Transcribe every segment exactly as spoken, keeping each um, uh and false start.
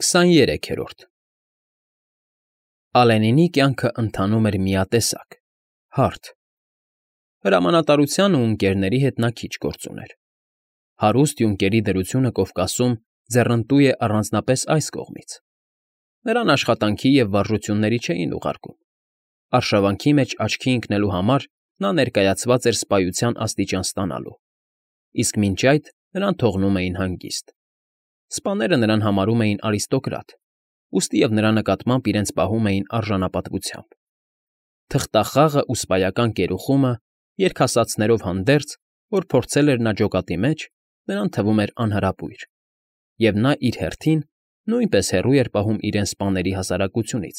Քսաներեքերորդ Ալենինի կյանքն ընթանում էր միատեսակ, հարթ. հրամանատարության ու ընկերների հետ նա քիչ գործ ուներ. հարուստ յունկերի դրությունը Կովկասում ձեռնտու է առանձնապես այս կողմից. նրան աշխատանքի և վարժությունների չէին ուղարկում, արշավանքի մեջ աչքի ընկնելու համար նա ներկայացված էր սպայության աստիճան ստանալու, իսկ մինչ այդ նրան թողնում էին հանգիստ. սպաները նրան համարում էին արիստոկրատ, ուստիև նրա նկատմամբ իրենց պահում էին արժանապատվությամբ. թղթախաղն ու սպայական կերուխումը երգասացներով հանդերձ, որ փորձել էր նա ջոկատի մեջ, նրան թվում էր անհրապույր, և նա իր հերթին նույնպես հեռու էր պահում իրեն սպաների հասարակությունից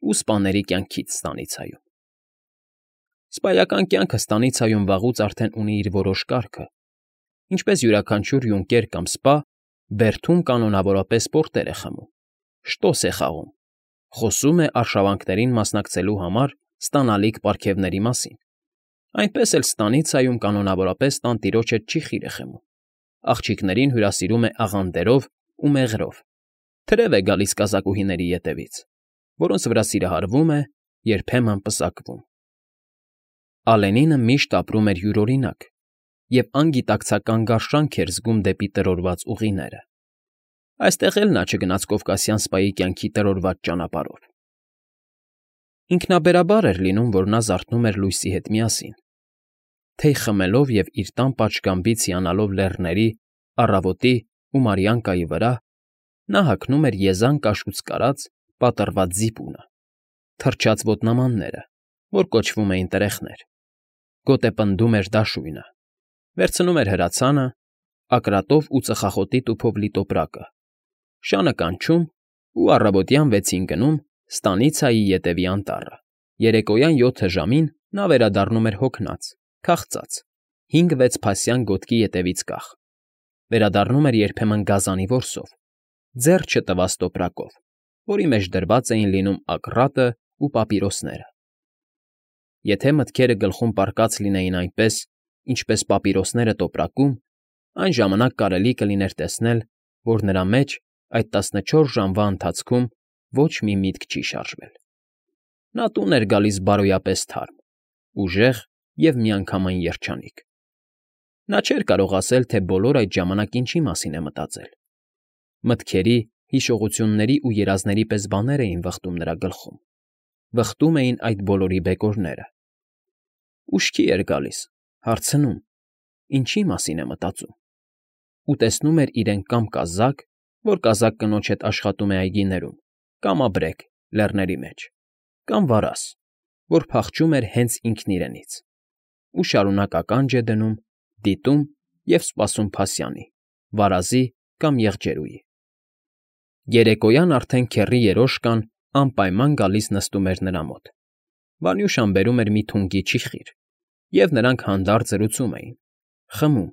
ու սպաների կյանքից ստանիցայում. Սպայական կյանքը ստանիցայում վաղուց արդեն ունի իր որոշ կարգը, ինչպես յուրաքանչյուր յունկեր կամ սպա բերդում կանոնավորապես պորտեր է խմում, շտոս է խաղում, խոսում է արշավանքներին մասնակցելու համար ստանալիք պարգևների մասին, այնպես էլ ստանիցայում կանոնավորապես տանտիրոջ հետ չի խիրը խմում, աղջիկներին հյուրասիրում է աղանդերով ու մեղրով, թրև է գալիս կազակուհիների ետևից, որոնց վրա սիրահարվում է, երբեմն պսակվում. Ալենինը միշտ ապրում էր յուրօրինակ և անգիտակցական գարշանք էր զգում դեպի տրորված ուղիները. այստեղ էլ նա չգնաց կովկասյան սպայի կյանքի տրորված ճանապարհով. ինքնաբերաբար էր լինում, որ նա զարթնում էր լույսի հետ միասին, թեյ խմելով և իր տան պատշգամբից հիանալով լեռների, առավոտի ու Մարիանկայի վրա, նա հագնում էր եզան կաշուց կարած պատռված զիպունը, թրջած ոտնամանները, որ կոչվում էին տրեխներ, գոտեպնդում էր դաշույնը, վերցնում էր հրացանը, ակրատով ու ծխախոտի տուփով լի տոպրակը, շանը կանչում ու առավոտյան վեցին գնում ստանիցայի ետևի անտառը, երեկոյան յոթը ժամին նա վերադառնում էր հոգնած, քաղցած, հինգ֊վեց փասյան գոտքի ետևից կախ, վերադառնում էր երբեմն գազանի որսով, ձեռ չտված տոպրակով, որի մեջ դրված էին լինում ակռատն ու պապիրոսները. եթե մտքերը գլխում պառկած լինեին այնպես, ինչպես պապիրոսները տոպրակում, այն ժամանակ կարելի կլիներ տեսնել, որ նրա մեջ այդ տասնչորս ժամվա ընթացքում ոչ մի միտք չի շարժվել. նա տուն էր գալիս բարոյապես թարմ, ուժեղ և միանգամայն երջանիկ. նա չէր կարող ասել, թե բոլոր այդ ժամանակ ինչի մասին է մտածել. մտքերի, հիշողությունների ու երազների պես բաներ էին վխտում նրա գլխում, վխտում էին այդ բոլորի բեկորները. ուշքի էր գալիս, հարցնում. ինչի մասին է մտածում, ու տեսնում էր իրեն կամ կազակ, որ կազակ կնոջ հետ աշխատում է այգիներում, կամաբրեկ, լեռների մեջ, կամ վարաս, որ փախչում էր հենց ինքն իրենից, ու շարունակ ականջ է դնում, դիտում և սպասում փասյանի, վարազի կամ եղջերուի. երեկոյան արդեն քեռի երոշկան անպայման գալիս նստում էր նրա մոտ, Վանյուշան բերում էր մի թունգի չիխիր, և նրանք հանդարտ զրուցում էին, խմում,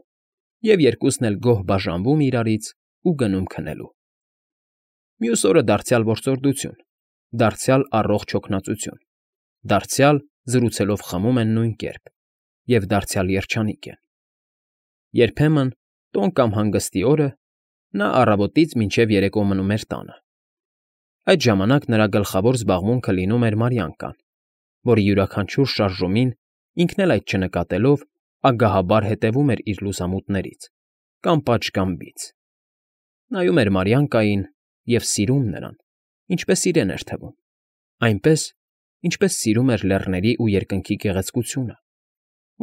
և երկուսն էլ գոհ բաժանվում իրարից ու գնում քնելու. մյուս օրը դարձյալ որսորդություն, դարձյալ առողջ հոգնածություն, դարձյալ զրուցելով խմում են նույն կերպ և դարձյալ երջանիկ են. երբեմն, տոն կամ հանգստի օրը, նա առավոտից մինչև երեկո մնում էր տանը. այդ ժամանակ նրա գլխավոր զբաղմունքը լինում էր Մարիանկան, որի յուրաքանչյուր շարժումին, ինքն էլ այդ չնկատելով, ագահաբար հետևում էր իր լուսամուտներից կամ պատշգամբից, նայում էր Մարիանկային և սիրում նրան, ինչպես իրեն էր թվում, այնպես, ինչպես սիրում էր լեռների ու երկնքի գեղեցկությունը,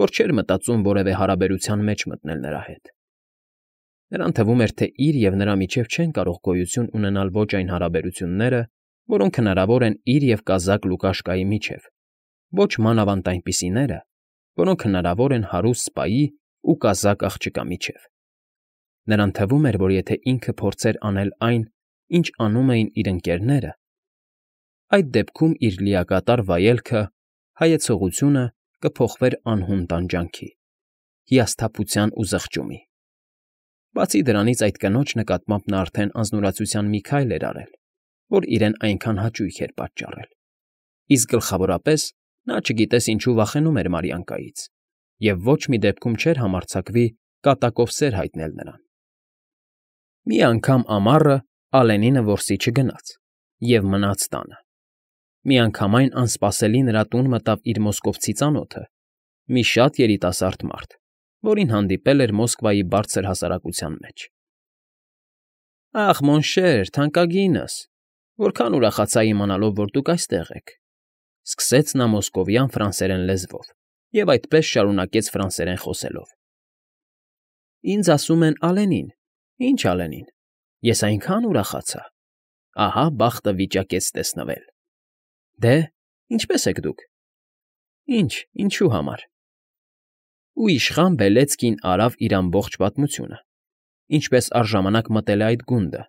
որ չէր մտածում որևէ հարաբերության մեջ մտնել նրա հետ. նրան թվում էր, թե իր և նրա միջև չեն կարող գոյություն ունենալ ոչ այն հարաբերությունները, որոնք հնարավոր են իր և կազակ Լուկաշկայի միջև, ոչ մանավանդ այնպիսիները, որոնք հնարավոր են հարուստ սպայի ու կազակ աղջկա միջև. նրան թվում էր, որ եթե ինքը փորձեր անել այն, ինչ անում էին իր ընկերները, այդ դեպքում իր լիակատար վայելքը, հայեցողությունը կփոխվեր անհուն տանջանքի, հիասթափության ու զղջումի. բացի դրանից այդ կնոջ նկատմամբ նա արդեն անձնուրացության մի քայլ էր արել, որ իրեն այնքան հաճույք էր պատճառել, իսկ գլխավորապես նա չգիտես ինչու վախենում էր Մարիանկայից և ոչ մի դեպքում չէր համարձակվի կատակով սեր հայտնել նրան. մի անգամ ամառը, Ալենինը որսի չգնաց և մնաց տանը։ Միանգամայն անսպասելի նրա տուն մտավ իր մոսկովցի ծանոթը, մի շատ երիտասարդ մարդ, որին հանդիպել էր Մոսկվայի բարձր հասարակության մեջ։ ֊ Ախ, մոնշեր, թանկագինս, որքան ուրախացա իմանալով, որ դուք այստեղ եք,֊ սկսեց նա մոսկովյան ֆրանսերեն լեզվով և այդպես շարունակեց ֆրանսերեն խոսելով։ ֊ Ինձ ասում են Ալենին։ Ի՞նչ Ալենին։ Ես այնքան ուրախացա… Ահա բախտը վիճակեց տեսնվել։ Դե, ինչպե՞ս եք դուք։ Ինչ, ինչու համար։ Ու իշխան Բելեծկին արավ իր ամբողջ պատմությունը, ինչպես առժամանակ մտել է այդ գունդը,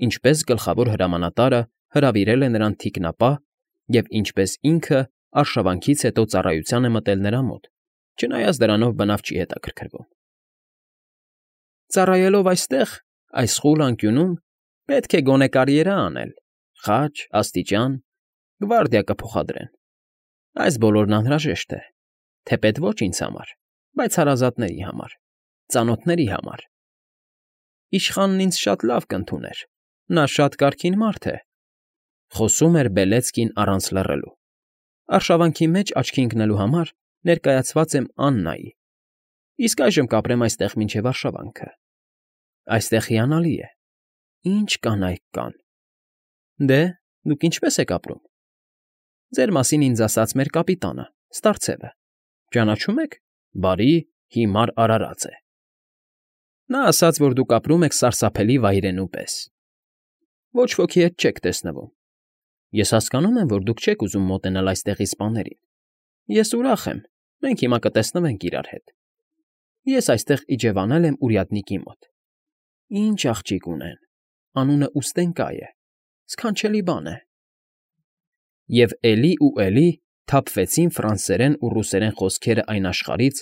ինչպես գլխավոր հրամանատարը հրավիրել է նրան թիկնապահ և ինչպես ինքը արշավանքից հետո ծառայության է մտել նրա մոտ, չնայած դրանով բնավ չի հետաքրքրվում։ Ծառայելով այստեղ, այս խուլ անկյունում, պետք է գոնե կարիերա անել, խաչ, աստիճան, գվարդիա կփոխադրեն։ Այս բոլորն անհրաժեշտ է, թեպետ ոչ ինձ համար, բայց հարազատների համար, ծանոթների համար։ Իշխանն ինձ շատ լավ կընդուներ, նա շատ կարգին մարդ է,֊ խոսում էր Բելեծկին առանց լռելու։ Արշավանքի մեջ աչքի ընկնելու համար ներկայացված եմ Աննայի, իսկ այժմ կապրեմ այստեղ մինչև արշավանքը։ Այստեղ հիանալի է, ինչ կանայք կան։ Դե, դուք ինչպե՞ս եք ապրում։ Ձեր մասին ինձ ասաց մեր կապիտանը, Ստարցևը, ճանաչում եք, բարի, հիմար արարած է։ Նա ասաց, որ դուք ապրում եք սարսափելի վայրենու պես։ Ոչ ոքի հետ չեք տեսնվում։ Ես հասկանում եմ, որ դուք չեք ուզում մոտենալ այստեղի սպաներին։ Ես ուրախ եմ, մենք հիմա կտեսնվենք իրար հետ։ Ես այստեղ իջևանել եմ урядники մոտ։ Ինչ աղջիկ ունեն, անունը Ուստենկա է, սքանչելի բան է։ Եվ էլի ու էլի թափվեցին ֆրանսերեն ու ռուսերեն խոսքերը այն աշխարհից,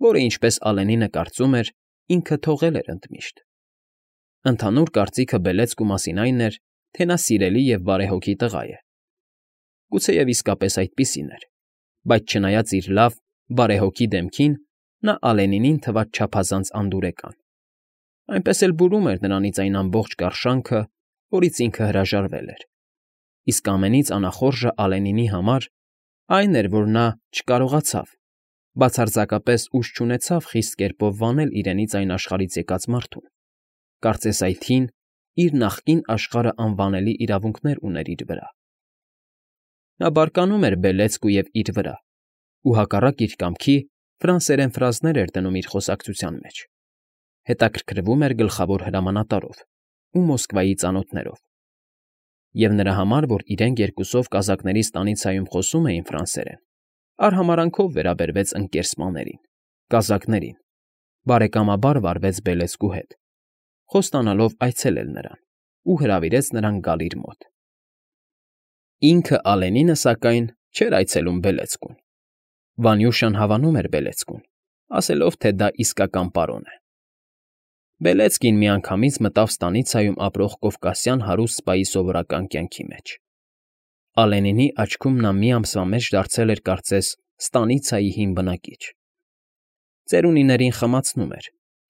որը, ինչպես Ալենինը կարծում էր, ինքը թողել էր ընդմիշտ։ Ընդհանուր կարծիքը Բելեծկու մասին այն էր, թե նա սիրելի և բարեհոգի տղա է։ Գուցեև իսկապես այդպիսին էր, բայց չնայած իր լավ, բարեհոգի դեմքին, նա Ալենինին թվաց չափազանց անդուրեկան։ Այնպես էլ բուրում էր նրանից այն ամբողջ կարշանքը, որից ինքը հրաժարվել էր։ Իսկ ամենից անախորժը Ալենինի համար այն էր, որ նա չկարողացավ, բացարձակապես ուժ չունեցավ խիստ կերպով վանել իրենից այն աշխարհից եկած մարդուն, կարծես այդ հին, իր նախկին աշխարհը անվանելի իրավունքներ ուներ իր վրա։ Նա բարկանում էր Բելեծկու և իր վրա, ու հակառակ իր կամքի ֆրանսերեն ֆրազներ էր դնում իր խոսակցության մեջ, հետաքրքրվում էր գլխավոր հրամանատարով ու Մոսկվայի ծանոթներով։ Եվ նրա համար, որ իրենք երկուսով կազակների ստանիցիայում խոսում էին ֆրանսերեն, արհամարհանքով վերաբերվեց ընկեր սպաներին, կազակներին, բարեկամաբար վարվեց Բելեծկու հետ, խոստանալով այցելել նրան ու հրավիրեց նրան գալ իր մոտ։ Ինքը Ալենինը, սակայն, չէր այցելում Բելեծկուն։ Վանյուշան հավանում էր Բելեծկուն, ասելով, թե դա իսկական պարոն է։ Բելեծկին միանգամից մտավ ստանիցիայում ապրող կովկասյան հարուստ սպայի սովորական կյանքի մեջ։ Ալենինի աչքում նա մի ամսվա մեջ դարձել էր կարծես ստանիցիայի հին բնակիչ։ Ծերունիներին խմացնում էր,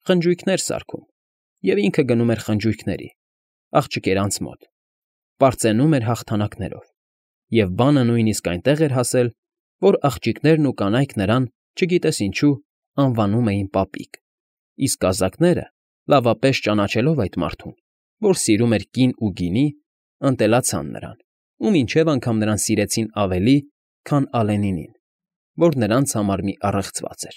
խնջույքներ սարքում, և ինքը գնում էր խնջույքների, աղջիկերանց մոտ, պարծենում էր հաղթանակներով, և բանը նույնիսկ այնտեղ էր հասել, որ աղջիկներն ու կանայք նրան, չգիտես ինչու, անվանում էին պապիկ, իսկ կազակները, լավապես ճանաչելով այդ մարդուն, որ սիրում էր կին ու գինի, ընտելացան նրան ու մինչև անգամ նրան սիրեցին ավելի, քան Ալենինին, որ նրանց համար մի առեղծված էր։